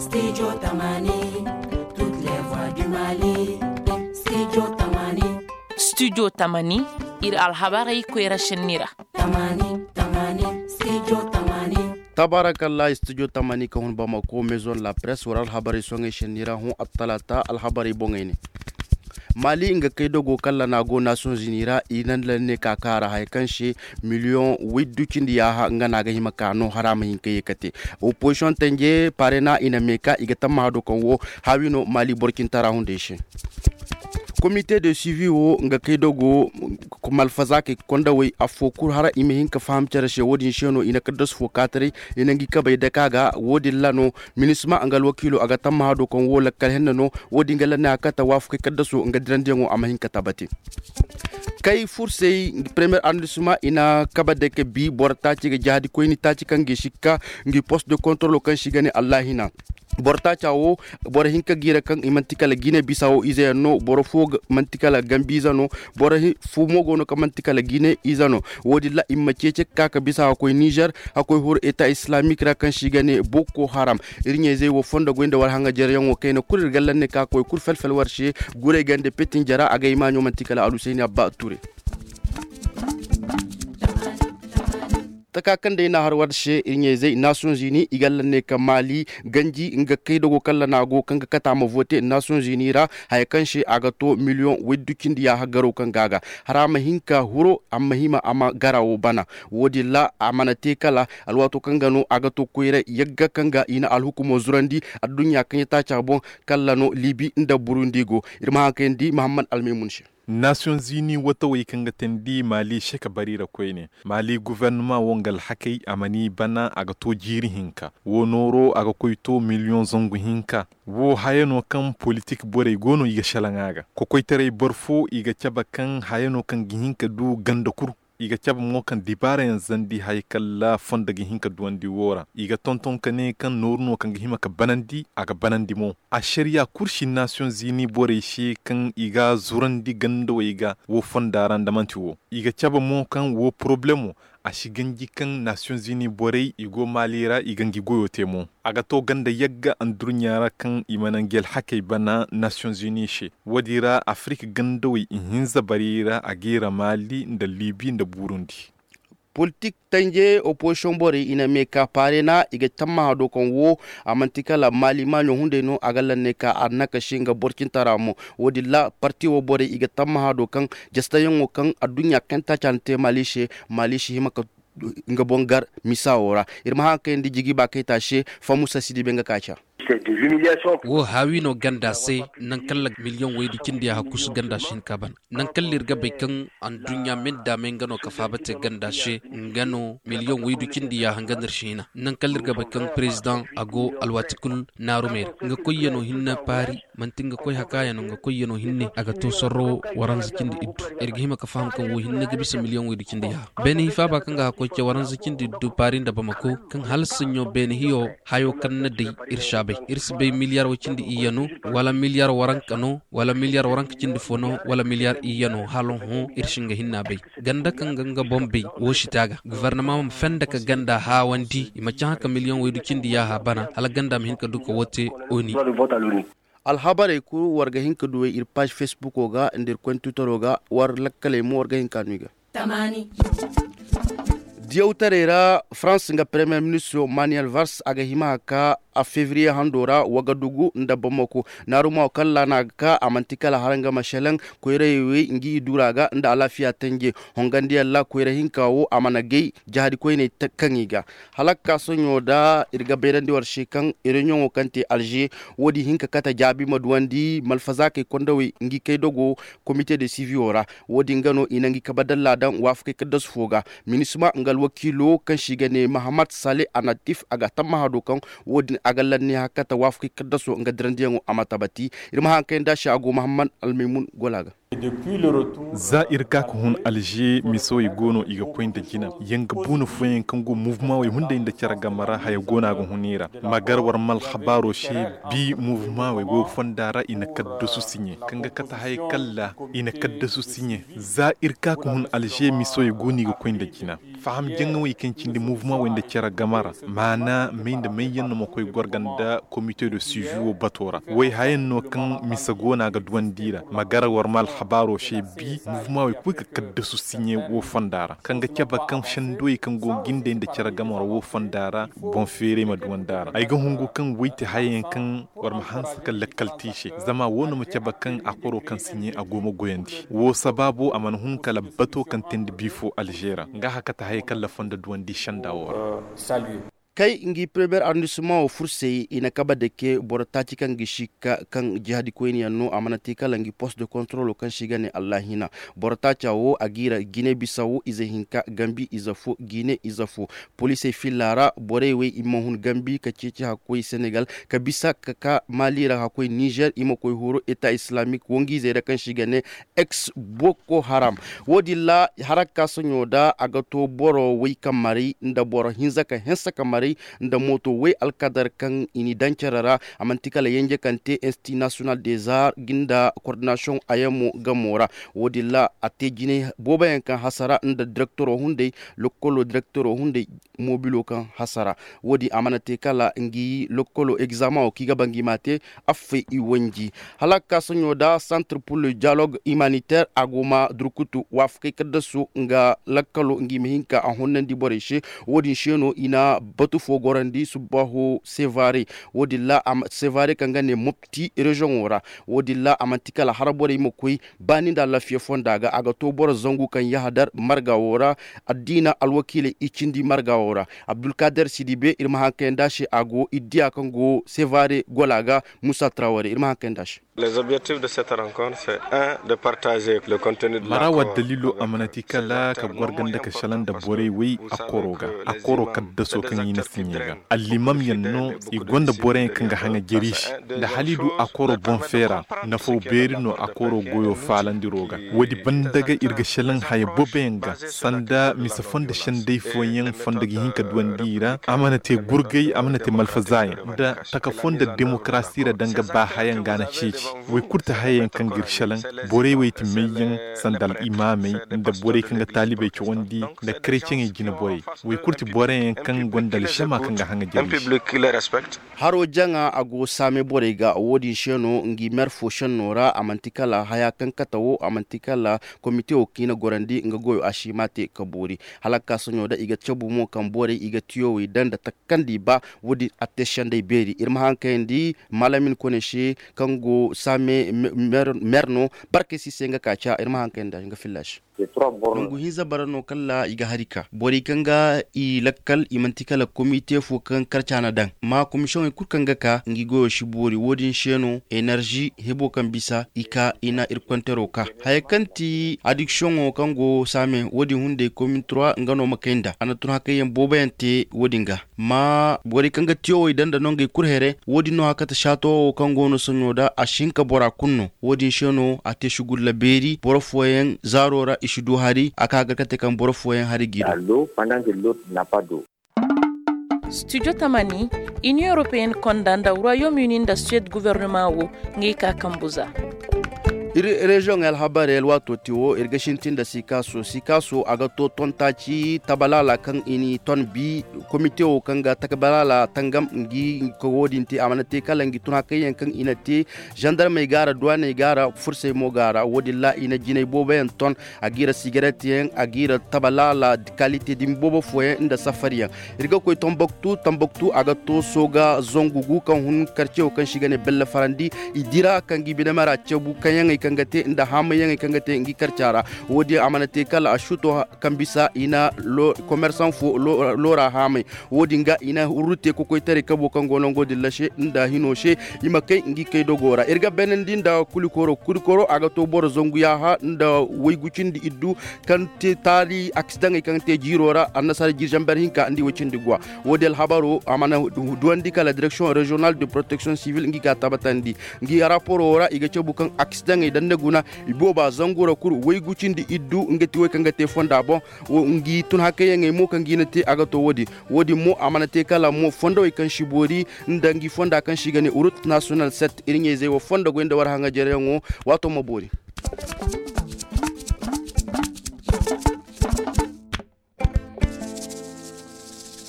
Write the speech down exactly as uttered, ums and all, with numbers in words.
Studio Tamani, toutes les voix du Mali. Studio Tamani. Studio Tamani, iri alhabarey koyra senni ra. Tamani, Tamani, Studio Tamani. Tabarakalla, Studio Tamani ka hun Bamako, Maison la Presse, war alhabarey soŋey senni ra, hun attalata alhabarey boŋey ne. Mali nga kaydogo kaŋ lana go Nations Unies ra, i na lanne ka kaara haya kaŋ se miliyoŋ waydu cindi yaaha nga no a ga hima ka no hara ma hin ka ye ka te. Opposition tanje parena i na me ka i ga tammaha do kaŋ wo haawi no Mali borcintara hunday se. Comité de suivi wo nga kaydogo malfaza kay kondawey afo kulu hara i ma hin ka faham care se wo-din se no i na kaddasu fo kaataray i na ngi kabey dake a ga. Wo-din ra no minisma nga alwakiilo a ga tammaha do kaŋ wo lakkal henne no. Wo-din ga lanne a kate waafakey kaddaso nga dirandiyaŋo a ma hin ka tabati. Kay fursey premier arrondissement i na kabe dake bi boro taaci ga jahadi koyni taaci kaŋ ga i sikka ngi poste de contrôle kaŋ se i ga ne allahina. Boro taaca wo boro hinka ga i ra kaŋ i manti kala gine bisa wo ize yaŋ no boro fo manti kala gambi ize no. Boro fo mo go no kaŋ manti kala gine ize no. Wo-din ra i ma ceeci ka ka bisa ka koy nizer ka koy huru eta islamik ra kaŋ se i ga ne boko haram. Iri ɲayzey wo fondo goy nda war haŋajaryaŋo kayna kulu iri ga lanne ka koy kulu fel-fel war se. Gurey gande petin jara a ga ay maaɲo manti kala alusayni abba ture. Taka kaŋ day na har war se iri ɲayzey nations unis i ga lanne ka maali ganji nga kaydogo kaŋ lana go kaŋ ga kate a ma vote nations unis ra. Haya kaŋ se a ga to miliyoŋ waydu cindi yaaha garo kaŋ ga a ga hara ma hin ka huro a ma hima a ma gara wo bana. Wo-din ra a mana te kala alwaato kaŋ ga no a ga to koyray yagga kaŋ ga i na alhukumo zurandi adduɲɲa kaŋ ya taaca boŋ. Kala no libi nda burundi go. Iri ma haŋ kayandi mahammad almaymun se. Nations unis watawey kaŋ ga teendi maali se ka bari ra koyne maali guvernama wo nga alhakey a mana i bana a ga to jiiri hinka wo nooro a ga koy to miliyoŋ zangu hinka. Wo haya no kaŋ politik borey go no i ga selaŋ a ga kokoytaray boro fo i ga cabe kaŋ haya no kaŋ ga hin ka du ganda kulu. I ga cabe mo kaŋ dibaara yaŋ zandi haya kala fondo ga hin ka duwandi wo ra i ga tonton ka ne kaŋ nooru no kaŋ ga hima ka banandi a ga banandi mo. Ašariya kulu si nations unis borey se kaŋ i ga zurandi gandawey ga wo fonda ra nda manti wo i ga cabe mo kaŋ wo porobalemo a si ganji kaŋ nations unis borey i go maali ra i ga ngi goyo te mo. A ga to ganda yagga anduruɲɲa ra kaŋ i mana ngi alhakey bana nations unis se. Wo-din ra afirika gandawey ihinza barey ra a ga i ra maali nda libi nda burundi. Politik tanje opozisiyoŋ borey i na me ka paarena i ga tammaha do kaŋ wo a manti kala maali maaɲo hunday no a ga lanne ka a nakasi nga borcintara mo. Wo-din ra parti wo borey i ga tammaha do kaŋ jastayaŋo kaŋ adduɲɲa kaŋ taaca na te maali se maali si hima ka nga boŋ gar misa wo ra. Iri ma haŋ kayandi jigi ba kayta se famusa si dibe nga kaaca. Wo haawi no ganda se. Nangu kaŋ ra miliyoŋ waydu cindi ya hakkusu ganda se hinka ban nangu kaŋ ra iri ga bay kaŋ anduɲɲa me nda me nga no ka faaba te ganda se nga no miliyoŋ waydu cindi ya hanga no iri si hina nangu kaŋ ra iri ga bay kaŋ perezidaŋ a go alwaati kulu naarumey ra nga koyyaŋo hinne paari. Manti nga koy hakaayano nga koyyano hinne a ga to sorro waranza cindi iddu. Iri ga hima ka faham kaŋ wo hinne ga bisa miliyoŋ waydu cindi yaaha beene hi faaba kaŋ ga hakkoy ce waranza cindi iddu paari nda bamako kaŋ hala saɲɲo beene hiyo hayo kaŋ na day iri si a bay. Iri si bay miliyar way cindi iyya no wala miliyar waranka no wala miliyar waranka cindi fo no wala miliyar iyya no hala hõ iri si nga hinne a bay. Ganda kaŋ ga nga boŋ bay wo si te a ga gofornama ma fenda ka ganda haawandi i ma cahã ka miliyoŋ waydu cindi yaaha bana hala ganda ma hin ka du ka wo te oni. Alhabarey kulu war ga hin ka duwey iri paazi fesbuko ga nda iri koyne twitaro ga war lakkaley mo war ga hin ka no i ga. Diyawtaray ra farans nga premier ministro manuel vars a ga hima ka a fevriye hando ra wagadugu nda bamako naarumo kaŋ ra no a ga ka a manti kala haranga ma selaŋ koyrayey wey ngi i dura ga nda alaafiya tanje hongandiyaŋ ra koyra hinka wo a mana gay jahadi koyney kaŋ i ga hala ga ka sohõ da iri ga bayrandi war se kaŋ iriɲoŋo kaŋ te alze wo- din hin ka kate jaabi ma duwandi malfazaakey kondawey ngi kaydogo komite de siviyo ra. Wo- din ga no i na ngi kabadalla daŋ waafakey kaddasu fo ga minisma nga alwakiilo kaŋ se i ga ne mahamat sale anatif a ga tammaha do kaŋ wo- din a ga lanne hakka ta waafakey kaddaso nga dirandiyaŋo a ma tabati. Iri ma haŋ kayandi a se a go mahammad almaymun gola ga. Za iri ka ka hun alze miso i go no i ga koy nda jina yanga buuna fooyaŋ kaŋ go muvuma wey hunday nda care game ra haya go no a ga hun i ra. Ma gar war ma alhabaaro se bi muvuma wey wo fonda ra i na kaddasu siɲe kaŋ ga kate haya kalla i na kaddasu siɲe. Za iri ka ka hun alze miso i go no i ga koy nda jina faham jaŋawey kaŋ cindi muvuma wey nda care game ra maana may nda may yaŋ no ma koy gorga nda komite de suivi wo bato ra. Way hayaŋ no kaŋ mise go no a ga duwandi i ra ma gara war ma alhabaaro se bi muvuma wey kulu ka kaddasu siɲe wo fonda ra kaŋ ga cabe kaŋ sendowey kaŋ go ga gindey nda care game ra wo fonda ra boŋ feeray ma duwandi a ra ay ga hungu kaŋ way ti hayayaŋ kaŋ war ma hanse ka lakkal te i se zama wo no ma cabe kaŋ a koro kaŋ siɲe a go ma goyandi wo sabaabo a mana hun kala bato kaŋ te nda bi fo alze ra nga haka ta hayey kaŋ lafonda duwandi senda wo ra. Kay ngi premier arrondissement wo fursey i na kabe dake boro taaci kaŋ ga si ka kaŋ jihadi koyne yaŋ no a mana te kala ngi poste de contrôle kaŋ se i ga ne allahina. Boro taaca wo a ga i ra gine bisa wo ize hinka gambi ize fo gine ize fo. Poliisey filla ra borey wey i ma hun gambi ka ceeci hakkoy senegal ka bisa ka ka mali ra hakkoy nizer i ma koy horo eta islamique wongu izey ra kaŋ se i ga ne ex boko haram. Wo- din ra harakka soɲo da a ga to boro way ka maray nda boro hinza ka hinsa ka maray nda mooto way alkadar kaŋ i n'i daŋ care ra. A manti kala yenje kaŋ te institut national des arts nda coordination ayamo gamo ra. Wo- din ra a te jinay boobo yaŋ kaŋ hasara nda direktoro hunday lokkolo direktoro hunday moobilo kaŋ hasara. Wo- din a mana te kala ngi lokkolo egzamaŋo kaŋ i ga ba ngi m'a te affey i wanji. Hala ga ka soɲo da centre pour le dialogue humanitaire a go ma durkutu waafakey kaddasu nga lakkalo ngi ma hin ka a honnandi borey se. Wo- din se no i na batu fo gorandi subbaaho sevare. Wo- din ra sevare kaŋ ga ne mopti rezoŋo ra. Wo- din ra a manti kala hara borey ma koy baani nda alafiya fonda ga a ga to boro zangu kaŋ yahadar marga wo ra. Addiina alwakiiley i cindi marga wo ra. Abdulkader sidibe iri ma haŋ kayandi a se a go iri diya kaŋ go sevare gola ga. Musa traware iri ma haŋ kayandi a se. Mara wa daliilo a mana ti kala ka gorga nda ka salaŋ nda borey wey a koro ga a koro kaddaso kaŋ i na siɲe ga allimam yaŋ no. I gonda borey kaŋ ga haŋa jeri se nda halidu a koro boŋ feera. Nafo beeri no a koro goyo faalandiro ga. Woodi banda ga iri ga salaŋ haya boobo yaŋ ga sanda mise fondo senday fooyaŋ fondo ga hin ka duwandi i ra a mana te gurgay a mana te malfaza yaŋ nda taka fondo demokarasi ra danga baahayaŋ ga a na ceeci. Way kulu ti hayayaŋ kaŋ ga iri salaŋ. Borey wey ti mayyaŋ sanda al'imaamey nda borey kaŋ ga taalibey cawandi nda kareceŋey jine borey. Way kulu ti boroyaŋ kaŋ gonda alžama kaŋ ga haŋa jare se. Haro jaŋa a go saame borey ga wo- din se no ngi mer fo senno ra a manti kala haya kaŋ kate wo a manti kala komite wo kaŋ i na gorandi nga goyo a si ma te ka boori. Hala ga ka soɲo da i ga cabu mo kaŋ borey i ga tiyowey daŋ nda taka kaŋ nda i ba. Wo- din a te senday beeri iri ma haŋ kayandi malamin kone se kaŋ go saame mer no barkey si se nga ka ca iri ma haŋ kayandi nga filla se. Nangu hinza bara no kala i ga hari ka borey kaŋ ga i lakkal i manti kala komite fo kaŋ karca na daŋ ma komisiyoŋey kulu kaŋ ga ka ngi goyo si boori wo- din se no enerzi hebo kaŋ bisa i ka i na iri kontero ka haya kaŋ ti adiksiyoŋo kaŋ go saame wo- din hunday komin trois nga no ma kay nda a na tun hakayyaŋ booboyaŋ te wo- din ga. Ma borey kaŋ ga tiyowey daŋ nda nongey kulu here wo- din no hakata sato wo kaŋ go no soɲo da a si hin ka bora kulu no. Wo- din se no a te sugulla beeri boro fooyaŋ zaaro ra i si du hari a ka ga kate kaŋ boro fooyaŋ hari g'i do. Studio tamani, union européenne konda nda royaume uni nda suède gouvernement wo ngey ka kambu za. Iri reziyoŋey alhabarey alwaato te wo iri ga sintin nda sikaso sikaso a ga to ton taaci tabalaala kaŋ i n'i ton bi. Komite wo kaŋ ga tabalaala tangam ngi ka wo- din te a mana te kala ngi tun hakayyaŋ kaŋ i na te zandarmey ga a ra duwaaney ga a ra fursey mo ga a ra wo- din ra i na jinay booboyaŋ ton. A g'i ra sigaret yaŋ a g'i ra tabalaala kalite dumi boobo fooyaŋ nda safari yaŋ. Iri ga koy tambaktu tambaktu a ga to sooga zangu gu kaŋ hun karce wo kaŋ se i ga ne belle farandi. I dira kaŋ ga i bine mara cabu kaŋyaŋey kaŋ ga te nda haamayaŋey kaŋ ga te ngi karca ra. Wo- din a mana te kala a suto kaŋ bisa i na komersaŋ fo loora haamay. Wo- din ga i na hurru te kokoytaray kabo kaŋ go nango din ra se nda hino se. I ma kay ngi kay dogo ra iri ga beenandi nda kulikoro kulikoro a ga to boro zangu yaaha nda waygu cindi iddu kaŋ te taali aksidaŋey kaŋ te jiiro ra annasaara jirjamber hinka nda i way cindi guwa. Wo- din alhabaro a mana duwandi kala direction régionale de protection civile ngi ga a tabbatandi. Ngi raporo wo ra i ga cabu kaŋ aksidaŋey Dande guna, ibooba zangura kulu waygu cindi iddu nga ti way kaŋ ga te fonda boŋ. Ngi tun hakayyaŋey mo kaŋ ga i na te a ga to wo- din. Wo- din mo a mana te kala mo fondowey kaŋ si boori, nda ngi fonda kaŋ se i ga ne urut nasiyonal set iri ɲayzey wo fondo goy nda war haŋajaryaŋo. Waato ma boori.